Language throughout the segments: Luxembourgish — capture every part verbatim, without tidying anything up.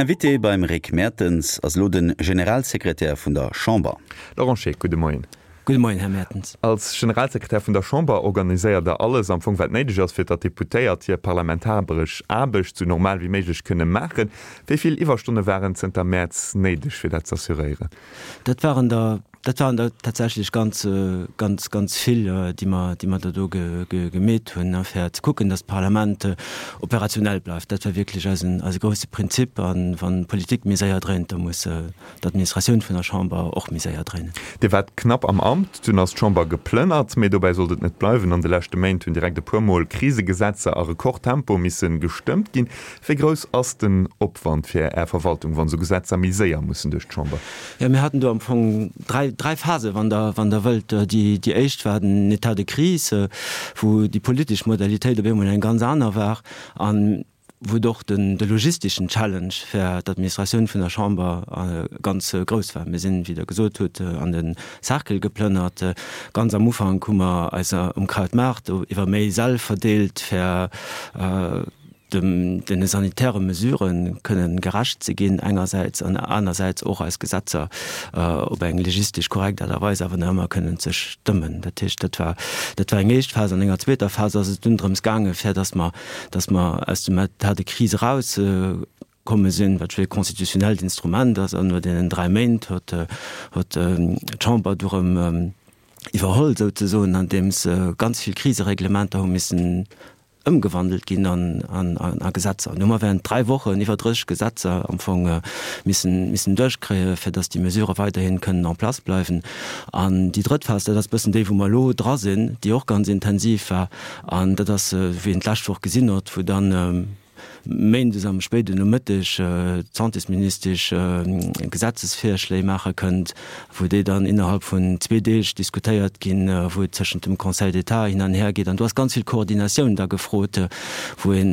Invité beim Rick Mertens ass elo de Generalsekretär vun der Chamber. Laurent Scheeck, gudde Moien. Gudde Moien, Här Mertens. Als Generalsekretär vun der Chamber organiséiert Der alles am Fong, wat néideg ass, fir datt d'Deputéiert hir parlamentaresch Aarbecht sou normal wéi méiglech kënne maachen. Wéi vill Iwwerstonne waren zënter Mäerz néideg, fir dat z'assuréieren? Dat waren der, dat waren der tatsächlech ganz, ganz, ganz vill, déi mer, déi mer der do gemeet hunn, fir ze kucken, datt d'Parlament operationell bleift. Dat war wierklech eisen, eise grousse Prinzip. A wann d'Politik méi séier dréint, da muss d'Administratioun vun der Chamber och méi séier dréinen. Dir waart knapp am Amt, dunn ass d'Chamber geplënnert. Mee dobäi sollt et net bleiwen. An de leschte Méint hunn direkt e puer Mol Krisegesetzer a Rekordtempo misse gestëmmt ginn. Wéi grouss ass den Opwand fir Är Verwaltung, wann esou Gesetzer méi séier mussen duerch d'Chamber? Jo, mir haten do am Fong dräi, dräi Phasen, wann Der, wann Der wëllt. Déi, déi éischt war den État de crise, wou déi politesch Modalitéit op eemol eng ganz aner war an wou et och den, de logisteschen Challenge fir d'Administratioun vun der Chamber ganz grouss war. Mir sinn, wéi Der gesot hutt, an de Cercle geplënnert. Ganz am Ufank hu mer eis um Krautmaart iwwer méi Säll verdeelt, fir dem, deene sanitäre Mesurë kënnen gerecht ze ginn engersäits an anersäits och eis Gesetzer op eng legistesch korrekt Aart a Weis awer nach ëmmer kënnen ze stëmmen. Dat heescht, dat war, dat war eng éischt Phas. An enger zweeter Phas ass et dunn drëms gaangen, fir datt mer, datt mer aus dem État de crise erauskomme sinn, wat jo e constitutionnellt Instrument ass, an no deenen dräi Méint huet, huet d'Chamber du erëm iwwerholl souzesoen, andeems ganz vill Krisereglementer hu missen ëmgewandelt ginn an a Gesetzer. An hu mer während dräi Wochen iwwer drësseg Gesetzer am Fong missen, missen duerchkréien, fir datt déi Mesurë weiderhin kënnen en place bleiwen. An déi drëtt Phas, dat ass e bëssen déi, wou mer elo dra sinn, déi och ganz intensiv war, an dat ass, wéi een d'lescht Woch gesinn huet, wou dann méindes am spéiden Nomëtteg d'Santésministesch Gesetzesvirschléi maache kënnt, wou déi dann innerhalb vun zwee Deeg diskutéiert ginn, wou et tëschent dem Conseil d'État hin an her geet. An do ass ganz vill Koordinatioun da gefrot, wou ee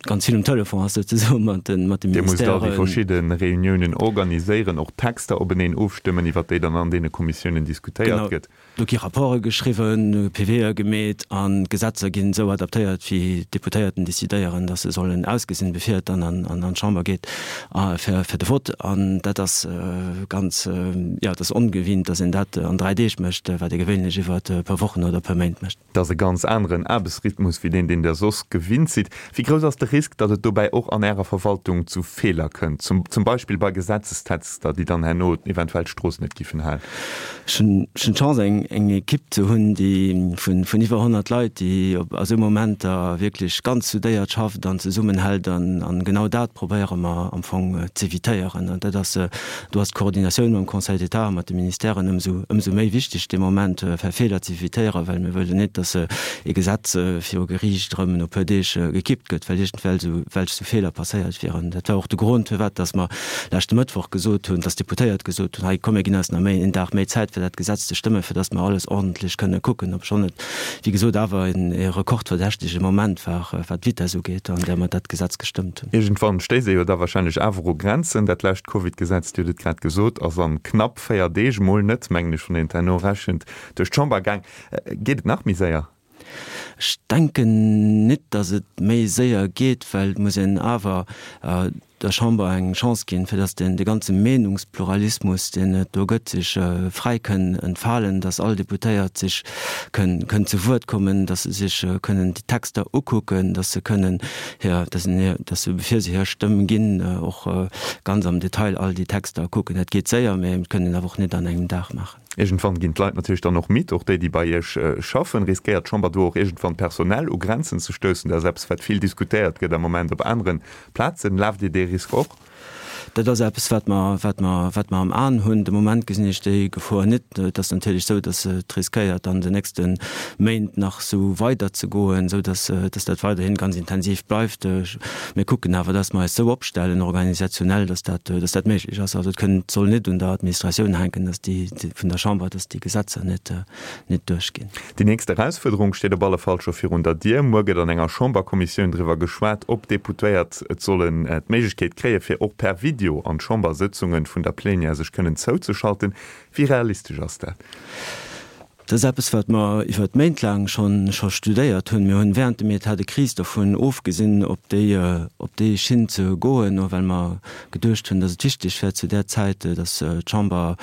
ganz vill um Telefon ass souzesoen mat de Dir musst all déi Ministèren. verschidde Reuniounen organiséieren, och Texter openeen ofstëmmen, iwwert déi dann an deene Kommissiounen diskutéiert Genau. gëtt. Do gi Rapporte geschriwwen, P W'e gemeet an d'Gesetzer ginn esou adaptéiert, wéi d'Deputéierten decidéieren, datt se sollen ausgesinn, bevir et dann an d'Chamber geet fir de Vott. An dat ass ganz, jo, et ass ongewinnt, datt een dat an dräi Deeg mécht, wat ee gewéinlech iwwer e puer Wochen oder e puer Méint mécht. Et ass e ganz aneren Aarbechtsrhythmus wéi deen, deen Der soss gewinnt sidd. Wéi grouss ass de Risk, datt et dobäi och an Ärer Verwaltung zu Feeler kënnt, zum Beispill bei Gesetzestexter, déi dann herno eventuell d'Strooss net giffen halen? Ech hunn d'Chance, eng Ekipp ze hunn, déi vun iwwer honnert Leit, déi a sou Momenter wierklech ganz soudéiert schafft an zesummenhält. An genau dat probéiere mer am Fong z'evitéieren. An dat ass, do ass d'Koordinatioun mam Conseil d'État a mat de Ministèren ëmsou méi wichteg dee Moment, fir Feeler z'evitéieren, well mir wëllen net, dass ee Gesetz viru Geriicht erëm no e puer Deeg gekippt gëtt, well iergendwelch sou Feeler passéiert wieren. Dat war och de Grond, firwat dass mer leschte Mëttwoch gesot hunn, dass d'Deputéiert gesot hunn, hei komm mir ginn eis nach méi een Dag méi Zäit fir dat Gesetz ze stëmmen, fir dass mer alles ordentlech kënne kucken, obschonn et, wéi gesot, awer e rekordverdächtege Moment war, wat d'Vitesse ugeet, an där mer dat Gesetz gestëmmt hunn. Iergendwann stéisst ee jo da wahrscheinlech awer u Grenzen. Dat lescht Covid-Gesetz, Dir hutt et grad gesot, ass an knapp véier Deeg, mol net, mengen ech, wann een et herno rechent, duerch d'Chamber gaang. Geet et nach méi séier? Ech denken net, datt et méi séier geet, well et muss een awer der Chamber eng Chance ginn, fir datt dee ganze Meenungspluralismus, deen et do gëtt, sech fräi kënn entfalen, datt all Deputéiert sech kënn zu Wuert kommen, datt se sech kënnen déi Texter ukucken, datt se kënnen hir, datt se, bevir se hir Stëmm ginn, och ganz am Detail all déi Texter kucken. Dat geet séier, mä et kënn een awer och net an engem Dag maachen. Iergendwann ginn d'Leit natierlech dann och midd, och déi, déi bei Iech schaffen. Riskéiert d'Chamber do och iergendwann personell u Grenzen ze stoussen? Dat ass eppes, wat vill diskutéiert gëtt am Moment op anere Plazen. Laaft Dir dee Risk och? Dat ass eppes, wat mer, wat mer, wat mer am Aen hunn. De Moment gesinn ech déi Gefor net. Et ass natierlech esou, datt et riskéiert, an den nächste Méint nach esou weiderzegoen, esou datt, datt dat weiderhin ganz intensiv bleift. Mir kucken awer, dass mer eis esou opstellen organisationell, dass dat, dass dat méiglech ass. Also et kënnt, soll net un der Administratioun hänken, dass déi, vun der Chamber, dass déi Gesetzer net, net duerchginn. Déi nächst Erausfuerderung steet op alle Fall scho virun der Dier. Muer gëtt an enger Chamberkommissioun driwwer geschwat, ob d'Deputéiert et sollen d'Méiglechkeet kréien, fir och per Video an d'Chambersëtzunge vun der Plenière sech kënnen zouzeschalten. Wéi realistesch ass dat? Dat ass eppes, wat mer iwwer Méint laang schonn scho studéiert hunn. Mir hunn während dem État de crise dovun ofgesinn, op déi op déi Schinn ze goen, well mer geduecht hunn, datt et wichteg wär zu där Zäit, datt d'Chamber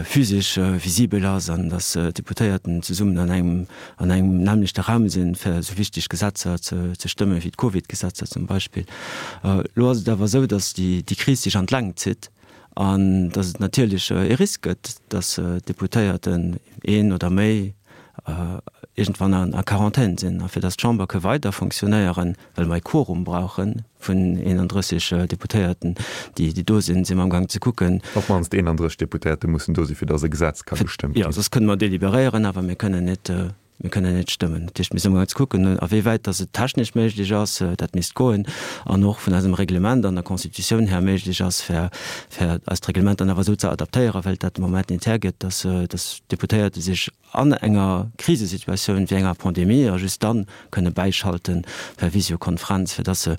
physesch visibel ass an datt d'Deputéierten zesummen an engem an engem nämmlechte Raum sinn, fir esou wichteg Gesetzer ze ze stëmmen, wéi d'Covid-Gesetzer zum Beispill. Elo ass et awer esou, datt déi déi Kris sech an d'Längt zitt. An datt et natierlech e Risk gëtt, datt Deputéierten, een oder méi, iergendwann a Quarantän sinn. A fir datt d'Chamber ka weider fonctionnéieren, well mer e Quorum brauche vun eenandrësseg Deputéierten, déi do sinn, si mer amgaang ze kucken. Op d'mannst eenandrësseg Deputéierte mussen do sinn, fir datt e Gesetz ka gestëmmt ginn. Jo, soss kënne mer deliberéieren, awer mir kënnen net Mir kënnen net stëmmen. Dat heescht, mir si amgaang ze kucken, awéiwäit dass et technesch méiglech ass, dat misst goen, an och vun eisem Reglement an der Constitutioun her méiglech ass, fir, fir eist Reglement dann awer esou ze adaptéieren, well dat de Moment net hergëtt, dass, dass d'Deputéierte sech an enger Krisesituatioun wéi enger Pandemie a just dann kënne bäischalten per Visiokonferenz, fir dass se,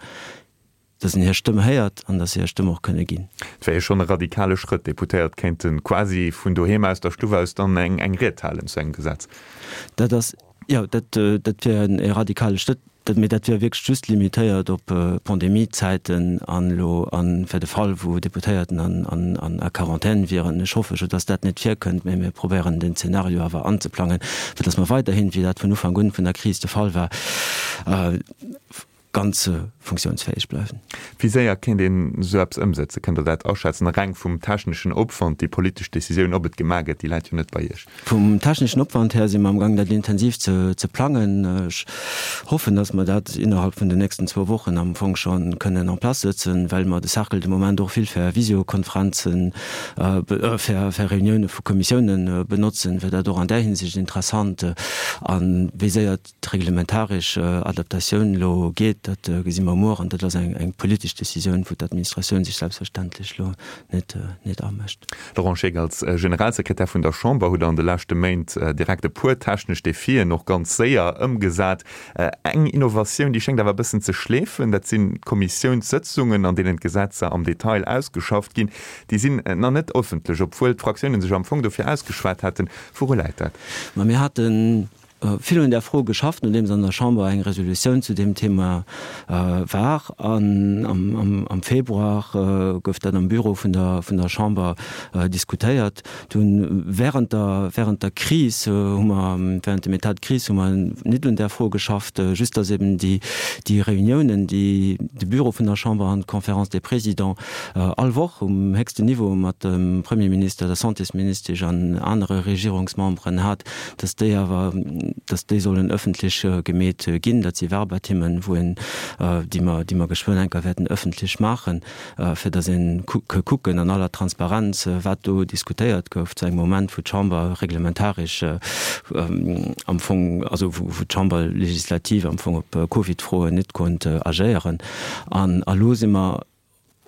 dass een hir Stëmm héiert an dass se hir Stëmm och kënne ginn. Et wär jo schonn e radikale Schrëtt, Deputéiert kéinte quasi vun doheem aus der Stuff aus dann eng eng Ried halen zu engem Gesetz. Dat ass, jo, dat dat wier e radikale Schrëtt, dat, mee dat wier wierklech just limitéiert op Pandemiezäiten an elo a fir de Fall, wou Deputéierten an an an a Quarantän wieren. Ech hoffe jo, dass dat net virkënnt, mee mir probéieren den Zeenario awer anzeplangen, fir dass mer weiderhin, wéi dat vun Ufank un vun der Kris de Fall war, ganz funktiounsfäeg bleiwen. Wéi séier kéint een esou eppes ëmsetzen? Kënnt Der dat aschätzen? Reng vum techneschen Opwand, déi politesch Decisioun, ob et gemaach gëtt, déi läit jo net bei Iech. Vum techneschen Opwand här si mer amgaang, dat intensiv ze plangen. Ech hoffen, datt mer dat innerhalb vun den nächsten zwou Wochen am Fong scho kënnen en place sëtzen, well mer de Cercle de Moment och vill fir Visiokonferenzen, fir Reunioune vu Kommissiounen benotzen, wier dat och an där Hinsicht interessant. A wéi séier d'reglementaresch Adaptatioun elo geet, dat gesi mer muer an dat ass eng politesch Decisioun, wou d'Administratioun sech selbstverständlech elo net amëscht. Laurent Scheeck, als Generalsekretär vun der Chamber hutt Der an de leschte Méint direkt e puer technesch Defien och ganz séier ëmgesat. Eng Innovatioun, déi schéngt awer e bëssen ze schleefen, dat sinn d'Kommissiounssëtzungen, an deenen d'Gesetzer am Detail ausgeschafft ginn. Déi sinn nach net ëffentlech, obwuel d'Fraktiounen sech am Fong dofir ausgeschwat haten. Wouru läit dat? Ma mir haten vill un där Fro geschafft, nodeems an der Chamber eng Resolutioun zu deem Thema war. An am Februar gouf dat am Büro vun der vun der Chamber diskutéiert. Dunn während der während der Kris hu mer, während dem État de crise hu mer net un där Fro geschafft, just datt eben déi déi Reuniounen, déi de Büro vun der Chamber an d'Conférence des Présidents all Woch um héchsten Niveau mat dem Premierminister, der Santésministesch an anere Regierungsmemberen hat, datt déi awer, datt déi sollen ëffentlech gemeet ginn. Dat si Verbatimmen, wou een, déi mer, déi mer geschwënn enker wäerten ëffentlech maachen, fir datt ee ke kucken an aller Transparenz, wat do diskutéiert gouf zu engem Moment, wou d'Chamber reglementaresch am Fong, also wou d'Chamber legislativ am Fong op Covid-Froen net konnt agéieren. An elo si mer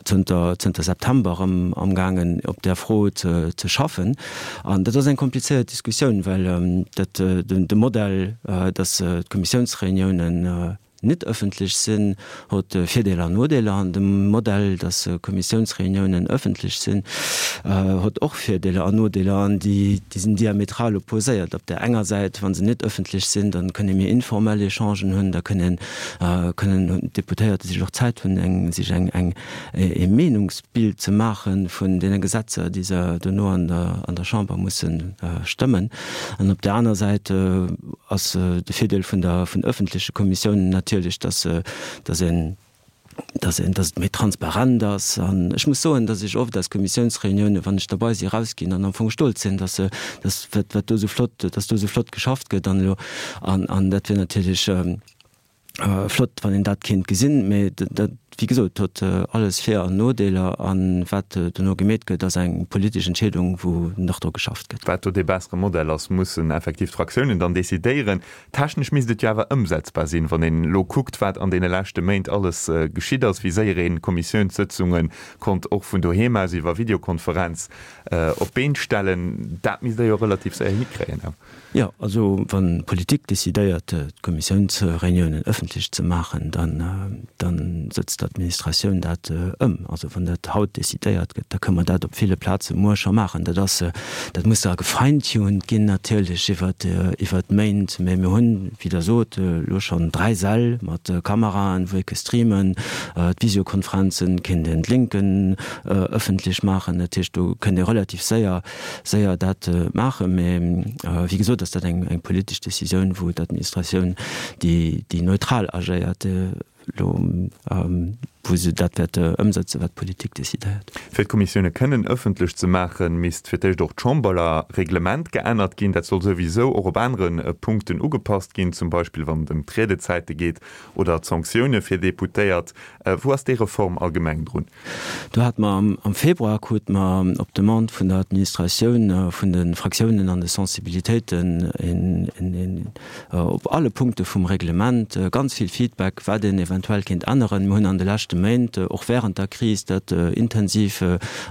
zënter, zënter September erëm amgaangen op där Fro ze, ze schaffen. An dat ass eng komplizéiert Diskussioun, well dat, den, de Modell, dass d'Kommissiounsreuniounen net ëffentlech sinn, huet Virdeeler an Nodeeler. An de Modell, dass Kommissiounsreuniounen ëffentlech sinn, huet och Virdeeler an Nodeeler. An déi, déi sinn diametral opposéiert. Op där enger Säit, wa se net ëffentlech sinn, da kënne mir informell Echangen hunn, da kënnen, kënnen d'Deputéierte sech och Zäit hunn, eng, sech eng, eng, e Meenungsbild ze maache vun deene Gesetzer, déi se dono an der, an der Chamber musse stëmmen. An op där aner Säit ass de Virdeel vun der, vun öffentleche Kommissiounen natierlech, dass, dass een, dass een, dass et méi transparent ass. An ech muss soen, dass ech oft aus Kommissiounsreuniounen, wann ech derbei si, erausginn an am Fong stolz sinn, dass, dass wat, wat do esou flott, dass do esou flott geschafft gëtt an elo, an, an dat wier natierlech, Flott, wann een dat kéint gesinn, mee dat, wéi gesot, huet alles Vir an Nodeeler. A wat dono gemeet gëtt, ass eng politesch Entscheedung, wou nach dru geschafft gëtt. Wat do dee bessere Modell ass, mussen effektiv d'Fraktiounen dann decidéieren. Technesch misst et jo awer ëmsetzbar sinn, wann een elo kuckt, wat an deene leschte Méint alles geschitt ass, wéi séier een Kommissiounssëtzunge konnt och vun doheem aus iwwer Videokonferenz op d'Been stellen. Dat misst Der jo relativ séier hikréien. Jo, also wann d'Politik decidéiert, d'Kommissiounsreuniounen ëffentlech ze maachen, dann, dann sëtzt d'Administratioun dat ëm. Also wann dat haut decidéiert gëtt, da kënne mer dat op ville Plaze muer scho maachen. Dat ass, dat muss da gefeintuned ginn natierlech iwwert, iwwert d'Méint, mä mir hunn, wéi Der sot, elo schonn dräi Säll mat Kameraen, wou ee ke streamen, d'Visiokonferenzen kéint een d'Linken ëffentlech maachen. Dat heescht, do kënnt ee relativ séier, séier dat maachen. Mä wéi gesot ass dat eng, eng politesch Decisioun, wou d'Administratioun, déi, déi neutral agéiert, elo wou se dat wäert ëmsetzen, wat d'Politik decidéiert. Fir d'Kommissioune kënnen ëffentlech ze maachen, misst fir d'éischt och d'Chamberreglement geännert ginn. Dat soll souwisou och op anere Punkten ugepasst ginn, zum Beispill wann et ëm d'Riedezäite geet oder d'Sanktioune fir Deputéiert. Wou ass déi Reform allgemeng drun? Do hate mer am Februar, krute mer op Demande vun der Administratioun, vun de Fraktiounen an de Sensibilitéiten een op alle Punkte vum Reglement ganz vill Feedback, wat een eventuell kéint änneren. Mir hunn an de leschte Méint, och während der Kris, dat intensiv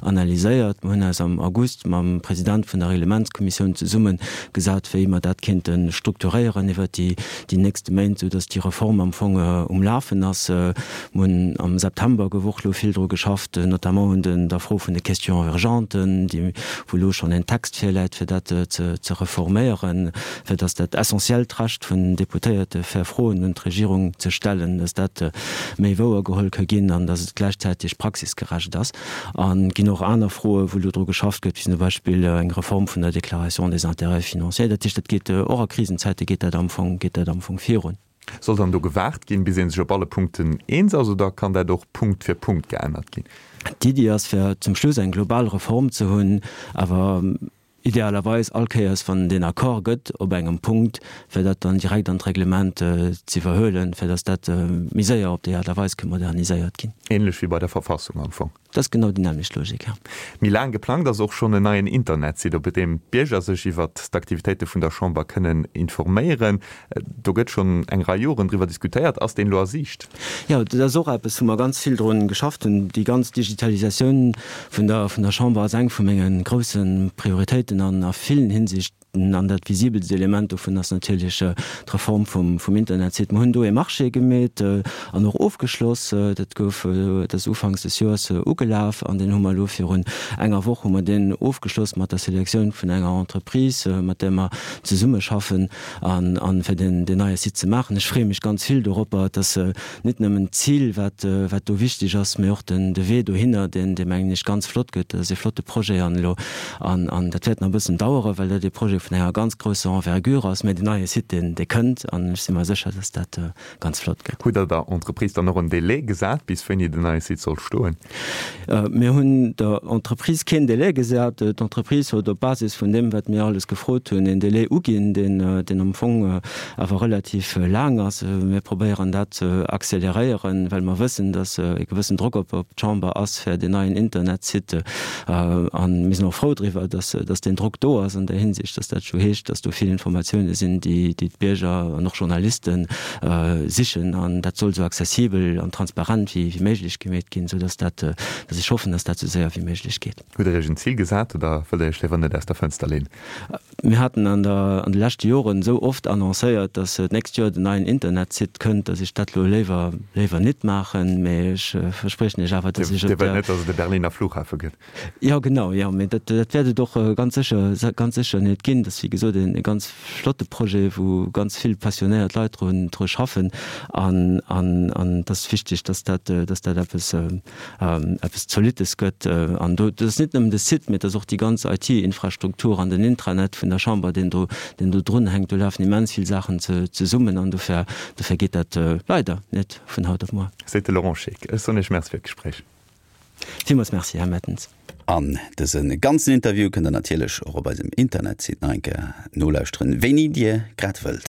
analyséiert. Mir hunn eis am August mam President vun der Reglementskommissioun zesumme gesat, wéi mer dat kéinte strukturéieren iwwert déi nächste Méint, soudass déi Reform am Fong um Lafen ass. Mir hunn am September gouf och elo vill dru geschafft, notamment un der Fro vun de Questions urgentes, déi, wou elo schonn en Text virläit, fir dat ze reforméieren, fir dass dat essentiellt Recht vun Deputéierte fir Froen un d'Regierung ze stellen, dass dat méi wouer geholl ka ginn an dass et gläichzäiteg praxisgerecht ass. An et ginn och aner Froen, wou elo dru geschafft gëtt, wéi zum Beispill eng Reform vun der Déclaration des intérêts financiers. Dat heescht, dat geet och a Krisenzäite geet dat am Fong, geet dat am Fong virun. Soll dann do gewaart ginn, bis ee sech op alle Punkten eens ass, oder kann dat och Punkt fir Punkt geännert ginn? D'Iddi ass, fir zum Schluss eng global Reform ze hunn, awer idealerweis all Kéiers, wann et een Accord gëtt op engem Punkt, fir dat dann direkt an d'Reglement z'iwwerhuelen, fir datt dat méi séier op déi Aart a Weis ka moderniséiert ginn. Ähnlech wéi bei der Verfassung am Fong. Dat ass genau déi nämmlecht Logik, jo. Méi laang geplangt ass och schonn en neien Internetsite, op deem d'Bierger sech iwwert d'Aktivitéite vun der Chamber kënnen informéieren. Do gëtt schonn eng Rei Joren driwwer diskutéiert. Ass deen elo a Siicht? Jo, dat ass och eppes, wou mer ganz vill drun geschafft hunn. Déi ganz Digitalisatioun vun der vun der Chamber ass eng vu menge grousse Prioritéiten an a villen Hinsichten. An dat visibelst Element dovun ass natierlech d'Reform vum vum Internetsite. Mer hunn do ee Marché gemeet an och ofgeschloss. Dat gouf, dat ass ufanks des Joers ugelaf an deen hu mer elo virun enger Woch hu mer deen ofgeschloss mat der Selektioun vun enger Entreprise, mat där mer zesummeschaffen an an fir deen deen neie Site ze maachen. Ech freeë mech ganz vill doropper, dass net nëmmen d'Zil, wat wat do wichteg ass, mee och den de Wee dohinner, deen dee mengen ech ganz flott gëtt. Dat ass ee flotte Projet an elo an an dat wäert nach e bëssen daueren, well dat ee Projet vun enger ganz grousser Envergure ass, mä deen neie Site, deen dee kënnt an ech si mer sécher, dass dat ganz flott gëtt. Hutt Der der Entreprise dann och en Délai gesat, bis wéini den neie Site soll stoen? Mir hunn der Entreprise keen Délai gesat. D'Entreprise huet op Basis vun deem, wat mir alles gefrot hunn, een Délai uginn, deen deen am Fong awer relativ laang ass. Mir probéieren dat ze accéléréieren, well mer wëssen, dass e gewëssen Drock op d'Chamber ass fir deen neien Internetsite. A mir sinn och frou driwwer, dass dass deen Drock do ass an där Hinsicht, dass dat scho heescht, dass do vill Informatioune sinn, déi déi d'Bierger an och Journaliste sichen. An dat soll esou accessibel an transparent wéi wéi méiglech gemeet ginn, esou dass dat, dass ech hoffen, dass dat esou séier wéi méiglech geet. Hutt Der Iech en Zil gesat oder wëllt Der Iech léiwer net aus der Fënster leenen? Mir haten an der, an de leschte Joren esou oft annoncéiert, dass d'nächst Joer den neien Internetsite kënnt, dass ech dat elo léiwer, léiwer nit maachen. Mee ech verspriechen Iech awer, dass ech op der. Dir wëllt net, dass et e Berliner Flughafe gëtt? Jo, genau, jo. Mee dat, dat wäert et och ganz sécher, ganz sécher net ginn. Dat ass, wéi gesot, e ganz flotte Projet, wou ganz vill passionéiert Leit drun, dru schaffen. An, an, an et ass wichteg, dass dat, dass dat eppes, eppes Zolittes gëtt. An do, dat ass net nëmmen de Site, mee et ass och déi ganz I T-Infrastruktur an den Intranet vun der Chamber, deen do, deen do drunhänkt. Do lafen immens vill Saachen zesummen an dofir, dofir geet dat leider net vun haut op muer. Seet de Laurent Scheeck. Ech soen Iech Merci fir d'Gespréich. Villmools Merci, Här Mertens. An dëse ganzen Interview kënnt der natierlech och op eisem Internetsite nach eng Kéier nolauschteren, wéini Dir grad wëllt.